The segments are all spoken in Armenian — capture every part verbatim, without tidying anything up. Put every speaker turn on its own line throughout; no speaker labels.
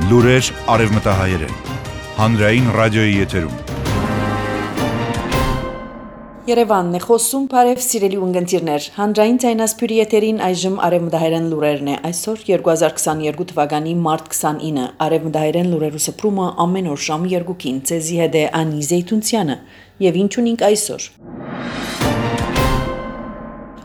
Լուրեր արևմտահայերեն, հանրային ռադիոյի եթերում։
Երևանն է խոսում, բարև սիրելի ունգընտիրներ, հանրային ձայնասփյուրի եթերին այժմ արևմտահայերեն լուրերն է, այսօր երկու հազար քսաներկու թվականի մարտ քսանինը, արևմտահայերեն լուրերու սփռումը ամեն օր ժամը երկուքին, ցեզի հետ է Անի Զեյթունցյանը, եւ ինչ ունենք այսօր։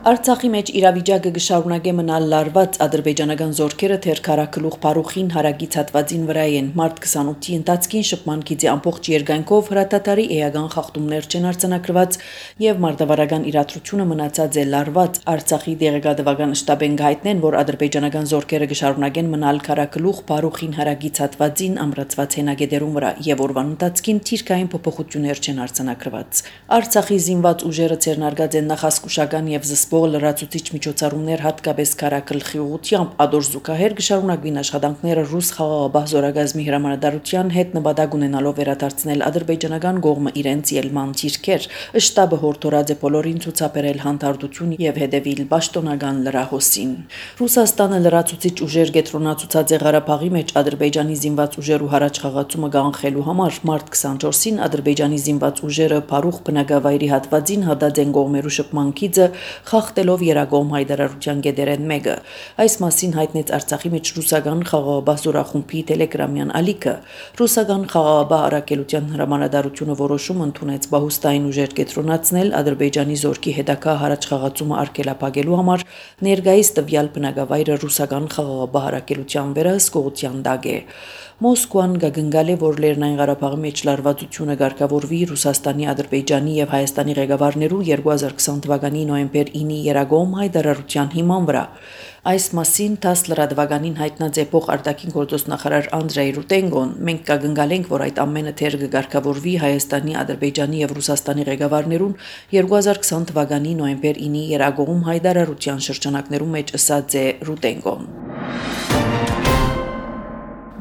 Արցախի մեջ իրավիճակը կշարունակե մնալ լարված, ադրբեջանական զորքերը թերքարակլուղ Փարուխին հարագից հատվածին վրա են մարտ քսանութի ընթացքին շփման գիծի ամբողջ երկայնքով հրատատարի էական խախտումներ չեն արձանագրված եւ մարտավարական իրադրությունը մնացած է լարված։ Արցախի դեղեկատվական շտաբեն գայտնեն, որ ադրբեջանական զորքերը կշարունակեն մնալ քարակլուղ Փարուխին հարագից հատվածին ամրացված հենագետերուն վրա եւ օրվան ընթացքին թիրքային փոփոխություններ չեն արձանագրված։ Արցախի զինված ուժերը ցերնարգած են նախասկուշական եւ զսպող լրացուցիչ միջոցառումներ հատկապես քարակլխի ուղությամբ ադոր զուգահեռ կշարունակվին աշխատանքները ռուս խաղաղապահ զորագազմի հրամանատարության հետ նպատակ ունենալով վերադարձնել ադրբեջանական կողմը իրենց ելման թիրքեր։ Շտաբը հորդորած է բոլորին ցուցաբերել հանդարտություն եւ հետեւել պաշտոնական լրահոսին։ Ռուսաստանը լրացուցիչ ուժեր կենտրոնացուցած է Ղարաբաղի մեջ ադրբեջանի զինված ուժերու հարաճ խաղացումը կանխելու համար մարտ քսանչորսին ադրբեջանի զինված ուժերը Փարուխ բնակավայրի հատվածին հատած են կողմերու շփման գիծը խախտելով երագոմ հայտարարության գեդերեն մեկը։ Այս մասին հայտնեց Արցախի մեջ ռուսական խաղաղապահ զորախումբի տելեգրամյան ալիքը։ Ռուսական խաղաղապահ առաքելության հրամանատարությունը որոշում ընդունեց բահուստային ուժեր կենտրոնացնել Ադրբեջանի զորքի հետագա հարաճ խաղացումը արգելափակելու համար ներկայիս տվյալ բնակավայրը ռուսական խաղաղապահ առաքելության վերահսկողության տակ է։ Մոսկվան գագնգալ է, որ Լեռնային Ղարաբաղի մեջ լարվածությունը ղեկավարվի Ռուսաստանի, Ադրբեջանի եւ Հայաստանի ղեկավարներու երկու հազար քսան թվականի նոյեմբեր ինի երագոմ հայտարարության հիման վրա։ Այս մասին տաս լրատվականին հայտնած է փոխ արտաքին գործոստ նախարար Անդրեյ Ռուտենգոն։ Մենք կգնգալ ենք, որ այդ ամենը թեր կգարկավորվի Հայաստանի, Ադրբեջանի եւ Ռուսաստանի ղեկավարներուն երկու հազար քսան թվականի նոյեմբեր ինի երագոմ հայտարարության շրջանակներում մեջ ըսած է Ռուտենգոն։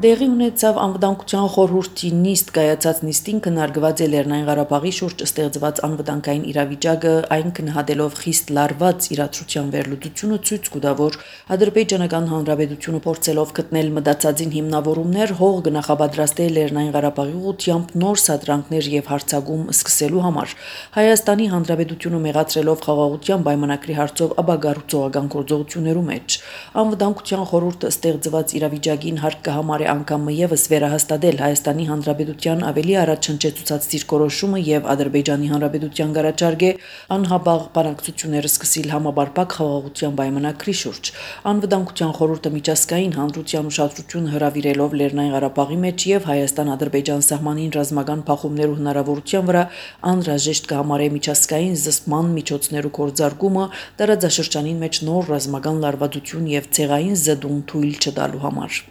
Դեղի ունեցավ անվտանգության խորհրդի նիստ կայացած նիստին քննարկված է Լեռնային Ղարաբաղի շուրջ ստեղծված անվտանգային իրավիճակը, այն քննադելով խիստ լարված իրադրության վերլուծությունը ցույց կտա, որ ադրբեջանական հանրապետությունը փորձելով գտնել մտածածին հիմնավորումներ հող կնախապատրաստել Լեռնային Ղարաբաղի ուղղությամբ նոր սադրանքներ եւ հարցակում սկսելու համար։ Հայաստանի հանրապետությունը մեղադրելով խաղաղության պայմանագրի հարցով ապագառուցողական գործողություններու մեջ անվտանգության խորհուրդը ստեղծված իրավիճակին հարկ կհամարի անգամ եւս վերահաստատել Հայաստանի Հանրապետության ավելի առաջնչեցուցած դիրքորոշումը եւ Ադրբեջանի Հանրապետության գարաճարգե անհաբաղ բանակցությունները սկսել համապարփակ խաղաղության պայմանագրի շուրջ։ Անվտանգության խորհուրդը միջազգային հանրության ուշադրությունը հրավիրելով Լեռնային Ղարաբաղի մեջ եւ Հայաստան-Ադրբեջան սահմանին ռազմական փախումներու հնարավորության վրա անհրաժեշտ կհամարե միջազգային զսպման միջոցներու կորձարկումը տարածաշրջանին մեջ նոր ռազմական լարվածություն եւ ցեղային զդում թույլ չտալու համար։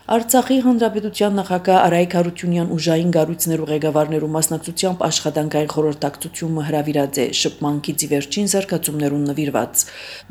Արցախի հանրապետության նախագահ Արայք Հարությունյան ուժային գառույցներու ղեկավարներու մասնակցությամբ աշխատանքային խորհրդակցությունը հրավիրած է շփման գիծի վերջին զարգացումներուն նվիրված։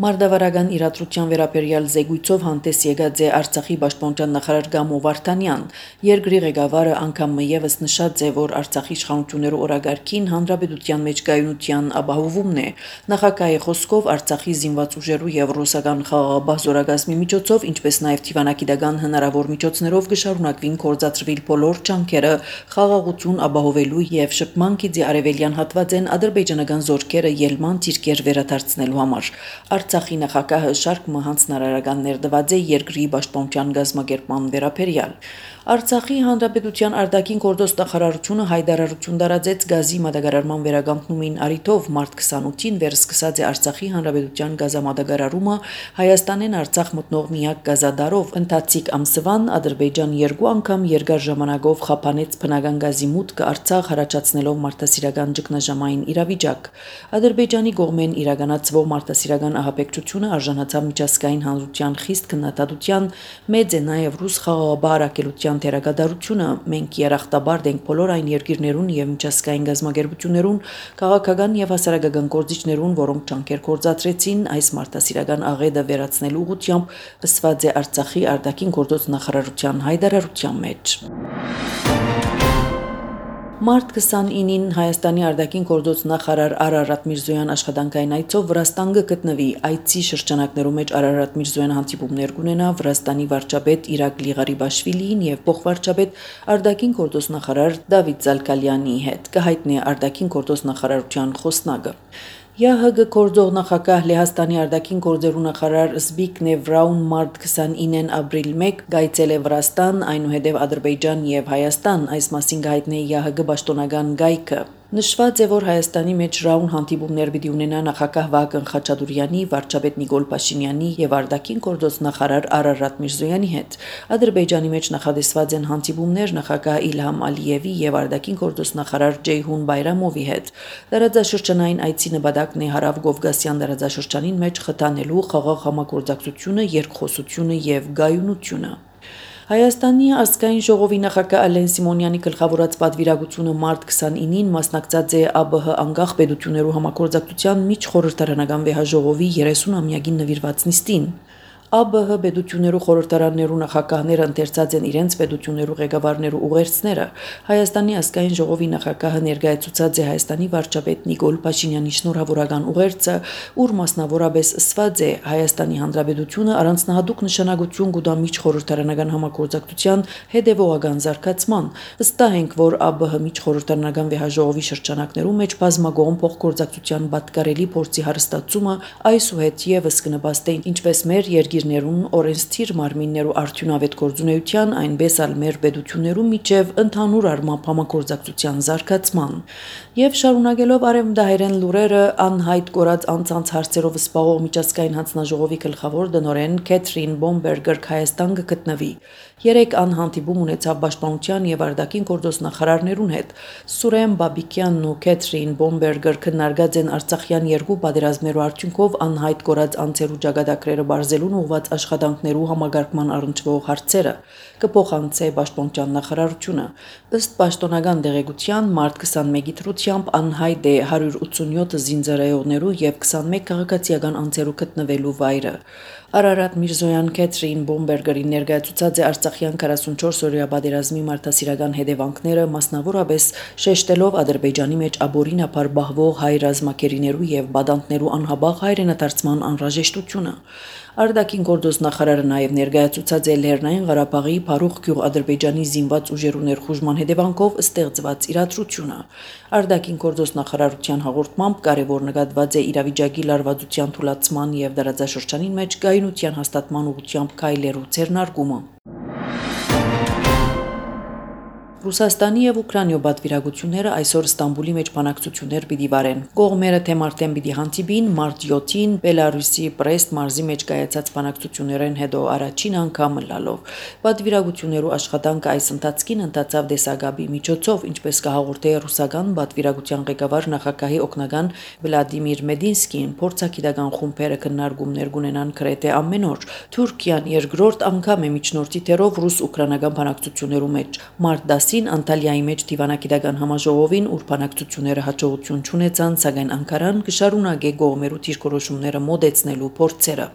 Մարտավարական իրադրության վերաբերյալ զեկույցով հանդես եկած է Արցախի պաշտպանության նախարար Գամո Վարդանյան։ Երկրի ղեկավարը անգամ եւս նշած է, որ Արցախի իշխանություններու օրագարկին հանրապետության մեջ կայունության ապահովումն է։ Նախագահի խոսքով Արցախի զինված ուժերու եւ ռուսական խաղաղապահ զորագազմի միջոցով, ինչպես նաեւ թիվանակիտական հնարավոր միջոցներով կշարունակվին կորզացրվել բոլոր ջանքերը խաղաղություն ապահովելու եւ շփման գիծի արևելյան հատվածեն ադրբեջանական զորքերը ելման դիրքեր վերադարձնելու համար։ Արցախի նախագահը շարք հանձնարարականներ տված է երկրի պաշտպանության գազམ་ակերպման վերաբերյալ։ Արցախի հանրապետության արտաքին գործոստ նախարարությունը հայտարարություն տարածեց գազի մատակարարման վերականգնումին առիթով մարտ քսանութին վերսկսած է Արցախի հանրապետության գազամատակարարումը Հայաստանեն Արցախ մտնող միակ գազադարով։ Ընթացիկ ամսվան Ադրբեջան երկու անգամ երկար ժամանակով խափանեց բնական գազի մուտքը Արցախ հարաճացնելով մարդասիրական ճգնաժամային իրավիճակ։ Ադրբեջանի կողմեն իրականացվող մարդասիրական ահաբեկչությունը արժանացավ միջազգային հանրության խիստ քննադատության, մեծ է նաև ռուս խաղաղապահ առաքելության թերակատարությունը։ Մենք երախտաբար ենք բոլոր այն երկիրներուն եւ միջազգային գազམ་ակերպություններուն, քաղաքական եւ հասարակական գործիչներուն, որոնք ջանքեր կործացրեցին այս մարդասիրական աղետը վերացնելու ուղղությամբ, ըսված է Արցախի արտաքին գործոց նախարարության հայտարարության մեջ։ Մարտ քսանինին Հայաստանի արտաքին գործոց նախարար Արարատ Միրզոյան աշխատանքային այցով Վրաստան գտնվի, այցի շրջանակներում մեջ Արարատ Միրզոյան հանդիպումներ կունենա Վրաստանի վարչապետ Իրակլի Ղարիբաշվիլիին եւ փոխվարչապետ արտաքին գործոց նախարար Դավիթ Զալկալյանի հետ, կհայտնի արտաքին գործոց նախարարության խոսնակը։ ԵԱՀԳ գործող նախագահ Լեհաստանի արտաքին գործերու նախարար Զբիգնև Ռաուն մարտ քսանինին ապրիլ մեկ գայցել է Վրաստան, այնուհետև Ադրբեջան եւ Հայաստան, այս մասին գայտնի ԵԱՀԳ պաշտոնական գայքը։ Նշված է, որ Հայաստանի մեջ Ռաուն հանդիպումներ պիտի ունենա նախագահ Վահագն Խաչատուրյանի, վարչապետ Նիկոլ Փաշինյանի եւ արտաքին գործոց նախարար Արարատ Միրզոյանի հետ։ Ադրբեջանի մեջ նախադեсված են հանդիպումներ նախագահ Իլհամ Ալիևի եւ արտաքին գործոց նախարար Ջեյհուն Բայրամովի հետ։ Դարաձաշրջանային այցի նպատակն է Հարավ Կովկասյան դարաձաշրջանին մեջ խթանելու խաղաղ համագործակցությունը, երկխոսությունը եւ գայունությունը։ Հայաստանի ազգային ժողովի նախագահ Ալեն Սիմոնյանի գլխավորած պատվիրակությունը մարտ քսանինին մասնակցած է ԱԲՀ անկախ պետություններու համագործակցության միջխորհրդարանական վեհաժողովի երեսուն-ամյակին նվիրված նիստին։ ԱԲՀ պետություններու խորհրդարաններու նախագահները ընթերցած են իրենց պետություններու ղեկավարներու ուղերձները։ Հայաստանի ազգային ժողովի նախագահը ներկայացուցած է Հայաստանի վարչապետ Նիկոլ Փաշինյանի շնորհավորական ուղերձը, ուր մասնավորապես ասված է Հայաստանի Հանրապետությունը առանձնահատուկ նշանակություն կուտա միջխորհրդարանական համագործակցության հետևողական զարգացման։ Վստահ ենք, որ ԱԲՀ միջխորհրդարանական վեհաժողովի շրջանակներում մեջ բազմագոհ փոխգործակցության պատկառելի փորձի հարստացումը այսուհետ եւս կնպաստի ինչպես մեր երկիրներուն օրենսդիր մարմիններու արդյունավետ գործունեության, այնպես ալ մեր պետություններու միջև ընդհանուր առմամբ համագործակցության զարգացման։ Եվ շարունակելով արևմտահայերեն լուրերը անհայտ կորած անցանց հարցերով զբաղող միջազգային հանձնաժողովի գլխավոր տնօրեն Քեթրին Բոմբերգեր Հայաստան կգտնվի։ Երեք անհանդիպում ունեցավ պաշտպանության եւ արտաքին գործոց նախարարներուն հետ։ Սուրեն Բաբիկյանն ու Քեթրին Բոմբերգեր քննարկած են Արցախյան երկու պատերազմներու արդյունքով անհայտ կորած անձերու ճակատագրերը բարձելուն ուղված աշխատանքներու համագարկման առնչվող հարցերը։ Կփոխանցե պաշտպանության նախարարությունը։ Ըստ պաշտոնական դեղեցության մարտ քսանմեկի թրությամբ անհայտ է հարյուր ութսունյոթ զինծառայողներու եւ քսանմեկ քաղաքացիական անձերու գտնվելու վայրը։ Արարատ Միրզոյան Քեթրին Բոմբերգերի ներկայացուցած է Արցախյան քառասունչորս օրյա պատերազմի մարդասիրական հետևանքները, մասնավորապես շեշտելով Ադրբեջանի մեջ աբորինապար բահվող հայ ռազմակերիներու եւ բադանտներու անհաբաղ հայրենադարձման անհրաժեշտությունը։ Արտաքին գործոց նախարարը նաև ներկայացուցած է Լեռնային Ղարաբաղի Փարուխ գյուղ Ադրբեջանի զինված ուժերու ներխուժման հետևանքով ստեղծված իրադրությունը։ Արտաքին գործոց նախարարության հաղորդմամբ կարևոր նկատված է իրավիճակի լարվածության թուլացման եւ դարաձաշրջանին մեջ գայունության հաստատման ուղղությամբ քայլերու ձեռնարկումը։ Ռուսաստանի եւ Ուկրաինայի պատվիրակությունները այսօր Ստամբուլի մեջ բանակցություններ պիտի վարեն։ Կողմերը թե մարտեն պիտի հանդիպին մարտ յոթին Բելարուսի Պրեստ մարզի մեջ կայացած բանակցություններեն հետո առաջին անգամ լալով։ Պատվիրակություններու աշխատանքը այս ընթացքին ընթացավ դեսագաբի միջոցով, ինչպես կհաղորդե ռուսական պատվիրակության ղեկավար նախագահի օգնական Վլադիմիր Մեդինսկին, փորձագիտական խումբերը քննարկումներ կունենան գրեթե ամեն օր։ Թուրքիան երկրորդ անգամ է միջնորդի թերով ռուս-ուկրաինական բանակցություններու մեջ։ Մարտ Անտալիայի մեջ դիվանագիտական համաժողովին ուր բանակցությունները հաջողություն չունեցան, սակայն Անկարան կշարունակե կողմերու դիրքորոշումները մոդեցնելու փորձերը։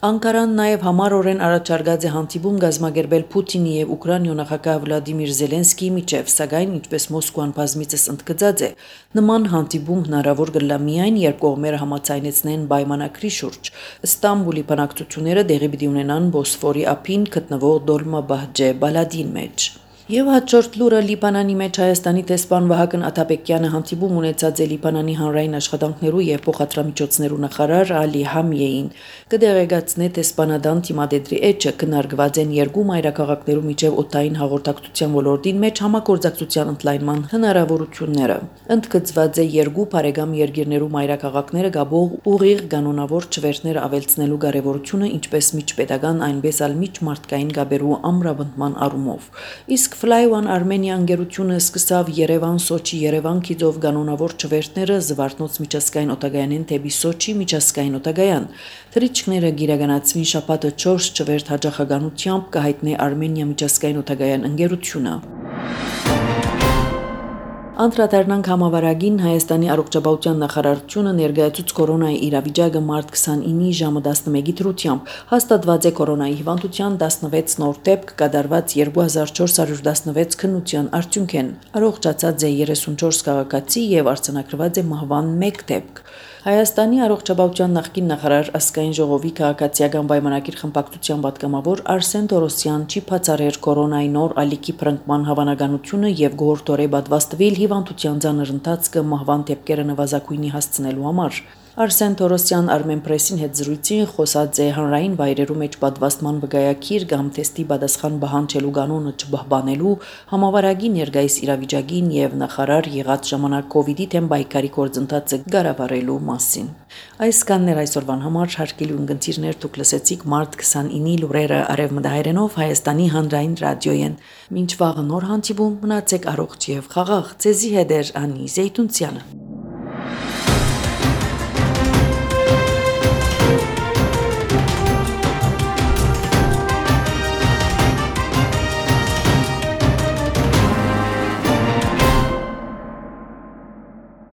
Անկարան նաև համառորեն առաջարկած է հանդիպում կազմակերպել Պուտինի եւ Ուկրաինայի նախագահ Վլադիմիր Զելենսկիի միջև, սակայն ինչպես Մոսկվան բազմիցս ընդգծած է, նման հանդիպում հնարավոր կլա միայն, երբ կողմերը համաձայնեցնեն պայմանագրի շուրջ։ Ստամբուլի բանակցությունները դեղի պիտի ունենան Բոսֆորի ափին գտնվող Դոլմաբահջե բալադին մեջ։ Եվ հաջորդ լուրը Լիբանանի մեջ Հայաստանի տեսփան Վահագն Աթաբեկյանը հանդիպում ունեցած է Լիբանանի հանրային աշխատանքներու եւ փոխադրամիջոցներու նախարար Ալի Համիեին։ Կդեղեկացնե տեսփանադան թիմադեդրի էջը քննարկված են երկու մայրաքաղաքներու միջև օդային հաղորդակցության ոլորտին մեջ համագործակցության ընդլայնման հնարավորությունները։ Ընդգծված է երկու բարեկամ երկիրներու մայրաքաղաքները գաբող ուղիղ կանոնավոր չվերթներ ավելցնելու կարևորությունը, ինչպես միջպետական, այնպես ալ միջմարտկային գաբերու ամրապնդման առումով։ Իսկ Fly One Armenia ընկերությունը սկսավ Երևան-Սոչի Երևան-Քիդով կանոնավոր չվերթները Զվարթնոց միջազգային օտագայանեն դեպի Սոչի միջազգային օտագայան։ Թռիչքները գիրականացվին շաբաթը չորս չվերթ հաջողականությամբ կհայտնի Արմենիա միջազգային օտագայան ընկերությունը։ Անդրադառնանք համավարակին Հայաստանի առողջապահության նախարարությունը ներկայացուց կորոնայի իրավիճակը մարտ քսանինի ժամը տասնմեկի դրությամբ հաստատված է կորոնայի հիվանդության տասնվեց նոր դեպք կատարված երկու հազար չորս հարյուր տասնվեց քննության արդյունք են առողջացած է երեսունչորս քաղաքացի եւ արձանագրված է մահվան մեկ դեպք Հայաստանի առողջապահության նախկին նախարար ազգային ժողովի քաղաքացիական պայմանագիր խմբակցության պատգամավոր Արսեն Տորոսյան չի բացառել կորոնայի նոր ալիքի փրկման հավանականությունը եւ գորտորե պատվաստվել հիվանդության ցաներ ընթացքը մահվան դեպքերը նվազագույնի հասցնելու համար Արսեն Տորոսյան Armenpress-ին հետ զրույցին խոսած է հանրային վայրերու մեջ պատվաստման վկայակիր կամ թեստի պատասխան բանջելու կանոնը չբահբանելու համավարակի ներկայիս իրավիճակին եւ նախարար եղած ժամանակ կոവിഡ്ի թեմ բայկարի գործընթացը գարավարելու մասին Այս կաններ այսօրվան համար հարգելի ունգընտիրներ դուք լսեցիք մարտ քսանինի լուրերը արևմտահայերենով Հայաստանի հանրային ռադիոյեն Մինչ վաղը նոր հանդիպում մնացեք առողջ եւ խաղաղ ցեզի հետ է Անի Զեյթունցյանը